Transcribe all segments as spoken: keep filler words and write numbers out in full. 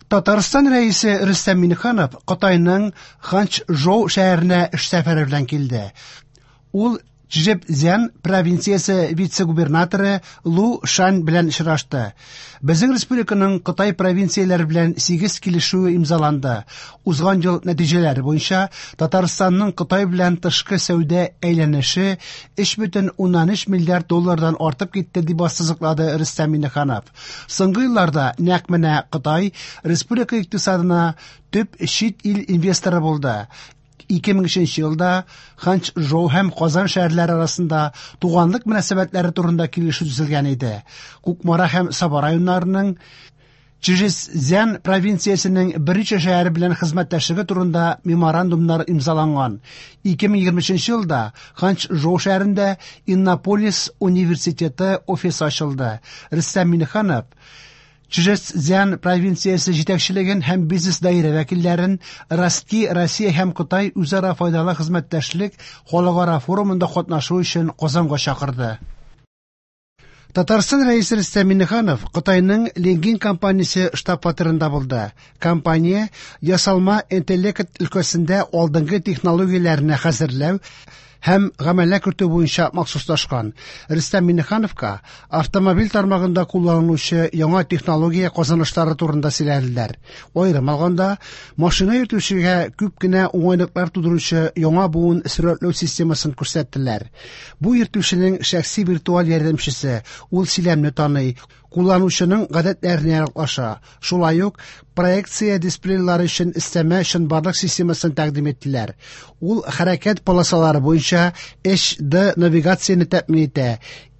Татарстан Рәисе Рөстәм Миңнеханов Кытайның Ханчжоу шәһәренә эш сәфәре белән килде. Ул Чжэцзян провинциясе вице-губернаторы Лу Шань белән очрашты. Безнең республиканың Кытай провинцияләре белән сигез килешүе имзаланды. Узган ел нәтиҗәләре буенча Татарстанның Кытай белән тышкы сәүдә әйләнеше өч бөтен уннан өч миллиард доллардан артып китте, дип ассызыклады Рөстәм Миңнеханов. Соңгы елларда нәкъ менә Кытай республика икътисадына төп чит ил инвесторы булды. ике мең өченче елда Ханчжоу һәм Казан шәһәрләре арасында туганлык мөнәсәбәтләре турында килешү төзелгән иде. Кукмара һәм Саба районнарының Чжэцзян провинциясенең берничә шәһәре белән хезмәттәшлеге турында меморандумнар имзаланган. ике мең егерме өченче елда Ханчжоу шәһәрендә Иннополис университеты офисы ачылды. Рөстәм Миңнеханов Чжэцзян провинциясе җитәкчелеген һәм бизнес даирә вәкилләрен Ростки, Россия һәм Кытай үзара файдалы хезмәттәшлек халыкара форумында катнашу өчен Казанга чакырды. Татарстан Рәисе Рөстәм Миңнеханов Кытайның Ленгин компаниясе штаб-фатирында булды. Компания ясалма интеллект өлкәсендә алдынгы технологияләрне хәзерләү һәм гамәлгә кертү буенча махсуслашкан. Рөстәм Миңнехановка автомобиль тармагында кулланылучы яңа технология казанышлары турында сөйләделәр. Аерым алганда, машина йөртүчегә күп кенә уңайлыклар тудыручы яңа буын сурәтләү системасын күрсәттеләр. Бу йөртүченең шәхси виртуаль ярдәмчесе, ул сөйләмне таный, кулланучының гадәтләренә яраклаша. Шулай ук проекция дисплейлары өчен өстәмә чынбарлык системасын тәкъдим иттеләр. Ул хәрәкәт полосалары буенча H D навигацияне тәэмин итә,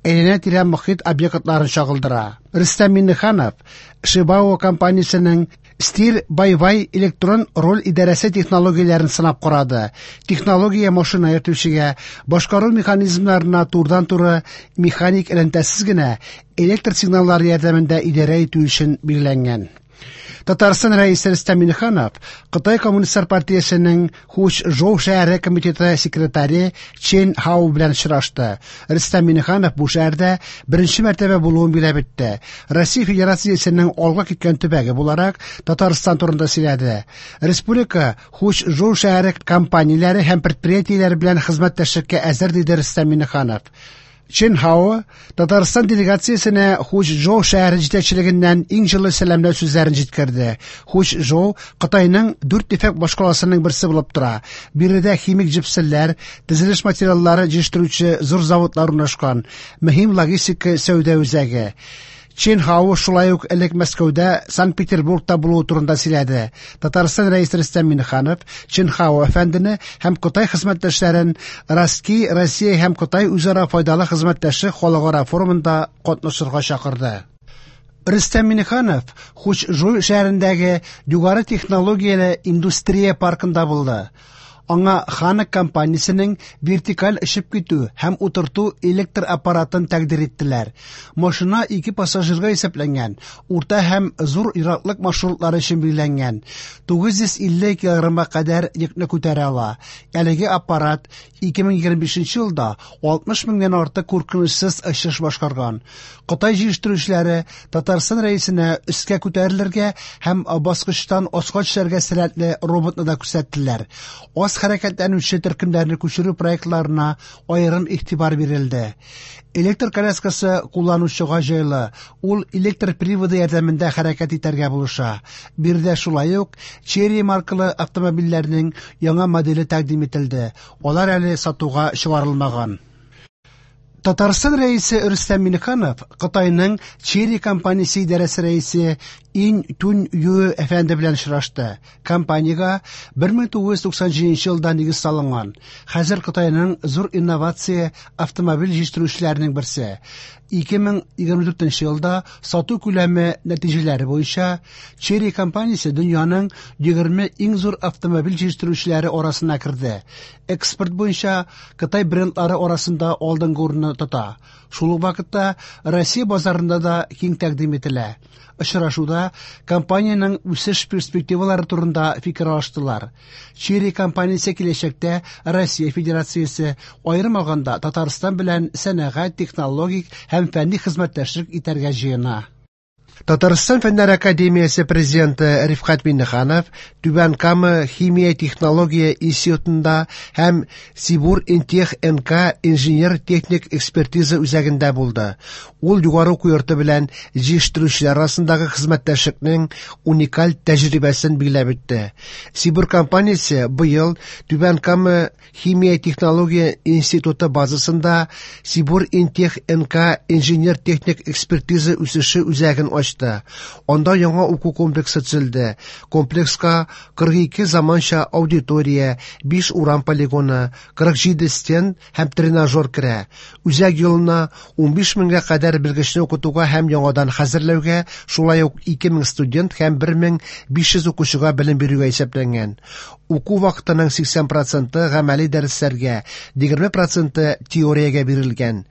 әйләнә-тирә мохит объектларын чагылдыра. Рөстәм Миңнеханов Шибао компаниясенең Steer by Wire электрон руль идарәсе технологияләрен сынап карады. Технология машина йөртүчегә башкару механизмнарына турыдан-туры механик элемтәсез генә электр сигналлары ярдәмендә идарә итү өчен билгеләнгән. Татарстан Рәисе Рөстәм Миңнеханов Кытай Коммунистлар партиясенең Хучжоу шәһәре комитеты секретаре Чен Хао белән очрашты. Рөстәм Миңнеханов бу шәһәрдә беренче мәртәбә булуын билгеләп үтте. Россия Федерациясенең алга киткән төбәге буларак Татарстан турында сөйләде. Республика Хучжоу шәһәре компанияләре һәм предприятиеләре белән хезмәттәшлеккә әзер, диде Рөстәм Миңнеханов. Чен Хао Татарстан делегациясенә Хучжоу шәһәре җитәкчелегеннән иң җылы сәламләү сүзләрен җиткерде. Хучжоу Кытайның дүрт ефәк башкаласының берсе булып тора. Биредә химик җепселләр, төзелеш материаллары җитештерүче зур заводлар урнашкан, мөһим логистика сәүдә үзәге. Чен Хао шулай ук элек Мәскәүдә, Санкт-Петербургта булуы турында сөйләде. Татарстан Рәисе Рөстәм Миңнеханов Чен Хао әфәндене һәм Кытай хезмәттәшләрен Ростки, Россия һәм Кытай үзара файдалы хезмәттәшлек халыкара форумында катнашырга чакырды. Рөстәм Миңнеханов Хучжоу шәһәрендәге югары технологияле индустрия паркында булды. Аңа Ханак компаниясенең вертикаль очып китү һәм утырту электр аппаратын тәкъдир иттеләр. Машина ике пассажирга исәпләнгән, урта һәм зур ераклык маршрутлары өчен билгеләнгән. Тугыз йөз илле килограммга кадәр йөкне күтәрә ала. Әлеге аппарат ике мең егерме бишенче елда алтмыш меңнән артык куркынычсыз очыш башкарган. Кытай җитештерүчеләре Татарстан рәисенә өскә күтәрелергә һәм баскычтан аска төшәргә сәләтле роботны да күрсәттеләр. Аз хәрәкәтләнүче төркемнәрне күчерү проектларына аерым игътибар бирелде. Электр коляскасы кулланучыга җайлы, ул электр приводы ярдәмендә хәрәкәт итәргә булыша. Биредә шулай ук Chery маркалы автомобильләрнең яңа моделе тәкъдим ителде. Алар әле сатуга чыгарылмаган. Татарстан Рәисе Рөстәм Миңнеханов Кытайның Chery компаниясе идарәсе рәисе Ин Тун Ю әфәнде белән очрашты. Компаниягә бер мең тугыз йөз туксан җиденче елда нигез салынган. Хәзер Кытайның зур инновация автомобиль җитештерүчеләренең берсе. Ике мең егерме дүртенче елда сату күләме нәтиҗәләре буенча Chery компаниясе дөньяның егерме иң зур автомобиль җитештерүчеләре арасына керде. Экспорт буенча Кытай брендлары арасында алдынгы урынны тота. Шул ук вакытта Россия базарында да киң тәкъдим ителә. Очрашуда компаниянең үсеш перспективалары турында фикер алыштылар. Chery компаниясе киләчәктә Россия Федерациясе, аерым алганда Татарстан белән сәнәгать, технологик һәм фәнни хезмәттәшлек итәргә җыена. Татарстан Фәннәр академиясе президенты Рифкать Миңнеханов Түбән Кама химия технология институтында һәм Сибур Интех Н К инженер-техник экспертиза үзәгендә булды. Ул югары уку йорты белән җитештерүчеләр арасындагы хезмәттәшлекнең уникаль тәҗрибәсен билгеләп үтте. Сибур компаниясе быел Түбән Кама химия технология институты базасында Сибур Интех Н К инженер-техник экспертиза үсеше үзәген ачты. Анда яңа уку комплексы төзелде. Комплекска кырык ике заманча аудитория, биш урам полигоны, кырык җиде стенд һәм тренажер керә. Үзәк елына унбиш меңгә кадәр белгечне укытуга һәм яңадан хәзерләүгә, шулай ук ике мең студент һәм бер мең биш йөз укучыга белем бирүгә исәпләнгән. Уку вакытының сиксән проценты гамәли дәресләргә, егерме проценты теориягә бирелгән.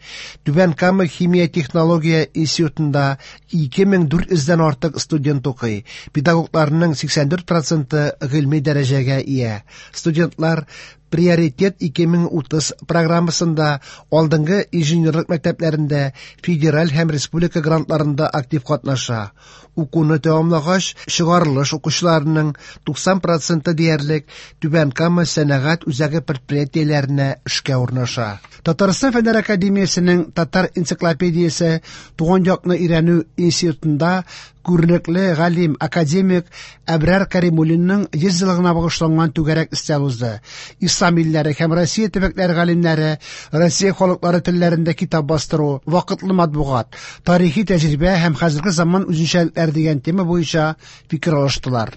Түбән Кама химия технология институтында ике мең дүрт йөздән артык студент укый. Педагогларның сиксән дүрт проценты гыйльми дәрәҗәгә ия. Студентлар Приоритет ике мең утыз программасында алдынгы инженерлык мәктәпләрендә, федераль һәм республика грантларында актив катнаша. Укуны тәмамлагач, чыгарылыш укучыларының туксан проценты диярлек Түбән Кама сәнәгать үзәге предприятиеләренә эшкә урнаша. Татарстан Фәннәр академиясенең Татар энциклопедиясе туган якны өйрәнү институтында күренекле галим, академик Әбрар Каримуллинның йөз еллыгына багышланган түгәрәк өстәл узды. Ислам илләре һәм Россия төбәкләре галимнәре Россия халыклары телләрендә китап бастыру, вакытлы матбугат, тарихи тәҗрибә һәм хәзерге заман үзенчәлекләре дигән тема буенча фикер алыштылар.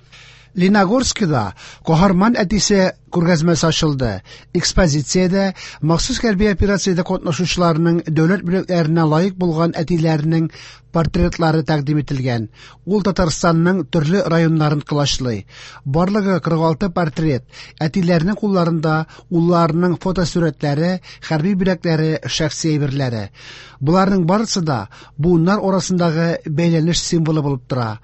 Лениногорскида Каһарман әтисе күргәзмәсе ачылды. Экспозициядә махсус хәрби операциядә катнашучыларның дәүләт бүләкләренә лаек булган әтиләренең портретлары тәкъдим ителгән. Ул Татарстанның төрле районнарын колачлый. Барлыгы кырык алты портрет, әтиләренең кулларында улларының фотосурәтләре, хәрби бүләкләре, шәхси әйберләре. Боларның барысы да буыннар арасындагы бәйләнеш символы булып тора.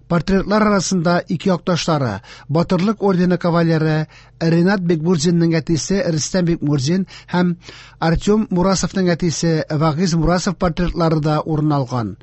Портретлар арасында ике якташлары, Батырлык ордены кавалеры Ренат Бекмурзинның әтисе Рөстәм Бекмурзин һәм Артем Мурасовның әтисе Вагиз Мурасов портретлары да урын алган.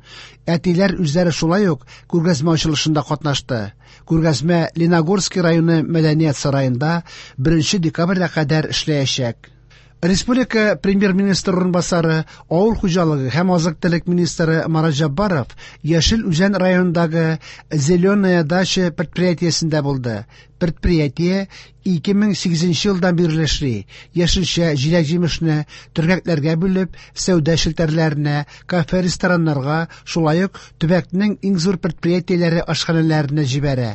Әтиләр үзләре шулай ук күргәзмә ачылышында катнашты. Күргәзмә Лениногорский районы мәдәният сараенда беренче декабрьгә кадәр эшләячәк. Республика премьер-министры урынбасары, авыл хуҗалыгы һәм азык-төлек министры Марат Җәббаров Яшел Үзән районындагы Зеленая дача предприятиесендә булды. Предприятие ике мең сигезенче елдан бирле эшли. Яшелчә, җиләк-җимешне төргәкләргә бүлеп, сәүдә челтәрләренә, кафе-рестораннарга, шулай ук төбәкнең иң зур предприятиеләре ашханәләренә җибәрә.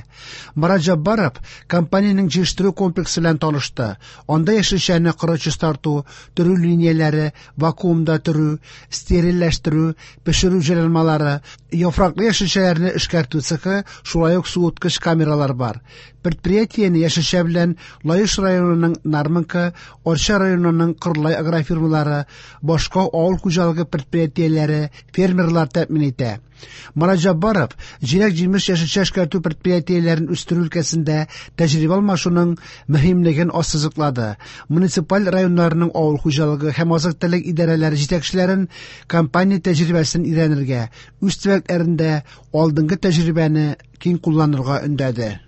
Марат Җәббаров компаниянең җитештерү комплексы белән танышты. Анда яшелчәне коры чистарту, төрү линияләре, вакуумда төрү, стерильләштерү, пешерү җайланмалары, яфраклы яшелчәләрне эшкәртү цехы, шулай ук суыткыч камералар бар. Предприятиене яшелчә белән Лаеш районының Нармонка, Арча районының Кырлай агрофирмалары, башка авыл хуҗалыгы предприятиеләре, фермерлар тәэмин итә. Марат Җәббаров җиләк-җимеш, яшелчә эшкәртү предприятиеләрен үстерү өлкәсендә тәҗрибә алмашуның мөһимлеген ассызыклады. Муниципаль районнарның авыл хуҗалыгы һәм азык-төлек идарәләре җитәкчеләрен компания тәҗрибәсен өйрәнергә, үз төбәкләрендә алдынгы тәҗрибәне киң кулланырга өндәде.